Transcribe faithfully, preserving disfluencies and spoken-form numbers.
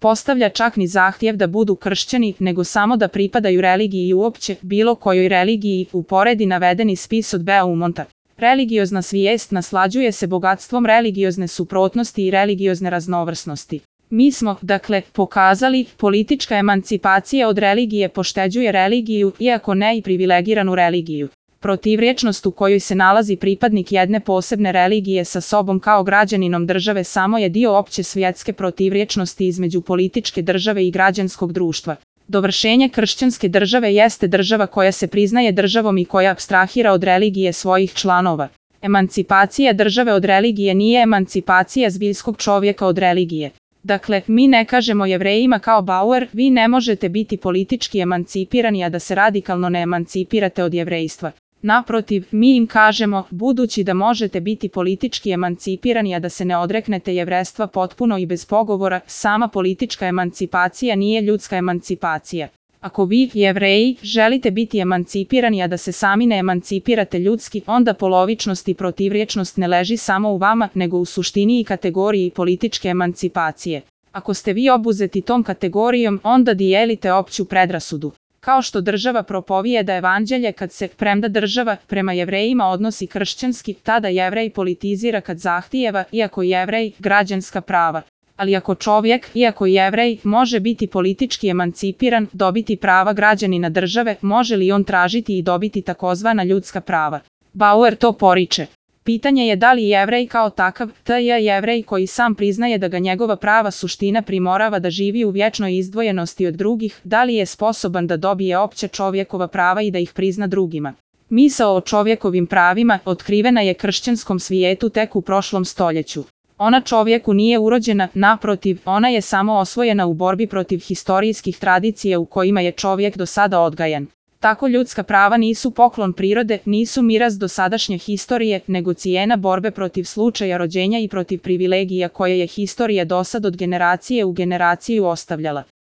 postavlja čak ni zahtjev da budu kršćani, nego samo da pripadaju religiji i uopće bilo kojoj religiji, uporedi navedeni spis od Beaumonta. Religiozna svijest naslađuje se bogatstvom religiozne suprotnosti i religiozne raznovrsnosti. Mi smo, dakle, pokazali, politička emancipacija od religije pošteđuje religiju, iako ne i privilegiranu religiju. Protivrječnost u kojoj se nalazi pripadnik jedne posebne religije sa sobom kao građaninom države samo je dio opće svjetske protivrječnosti između političke države i građanskog društva. Dovršenje kršćanske države jeste država koja se priznaje državom i koja apstrahira od religije svojih članova. Emancipacija države od religije nije emancipacija zbiljskog čovjeka od religije. Dakle, mi ne kažemo Jevrejima kao Bauer, vi ne možete biti politički emancipirani, a da se radikalno ne emancipirate od jevrejstva. Naprotiv, mi im kažemo, budući da možete biti politički emancipirani, a da se ne odreknete jevrejstva potpuno i bez pogovora, sama politička emancipacija nije ljudska emancipacija. Ako vi, Jevreji, želite biti emancipirani, a da se sami ne emancipirate ljudski, onda polovičnost i protivrječnost ne leži samo u vama, nego u suštini i kategoriji političke emancipacije. Ako ste vi obuzeti tom kategorijom, onda dijelite opću predrasudu. Kao što država propovijeda evanđelje kad se, premda država, prema Jevrejima odnosi kršćanski, tada Jevrej politizira kad zahtijeva, iako Jevrej, građanska prava. Ali ako čovjek, iako Jevrej, može biti politički emancipiran, dobiti prava građanina države, može li on tražiti i dobiti takozvana ljudska prava? Bauer to poriče. Pitanje je da li Jevrej kao takav, t je Jevrej koji sam priznaje da ga njegova prava suština primorava da živi u vječnoj izdvojenosti od drugih, da li je sposoban da dobije opće čovjekova prava i da ih prizna drugima. Misao o čovjekovim pravima otkrivena je kršćanskom svijetu tek u prošlom stoljeću. Ona čovjeku nije urođena, naprotiv, ona je samo osvojena u borbi protiv historijskih tradicija u kojima je čovjek do sada odgajan. Tako ljudska prava nisu poklon prirode, nisu miraz dosadašnje historije, nego cijena borbe protiv slučaja rođenja i protiv privilegija koje je historija dosad od generacije u generaciju ostavljala.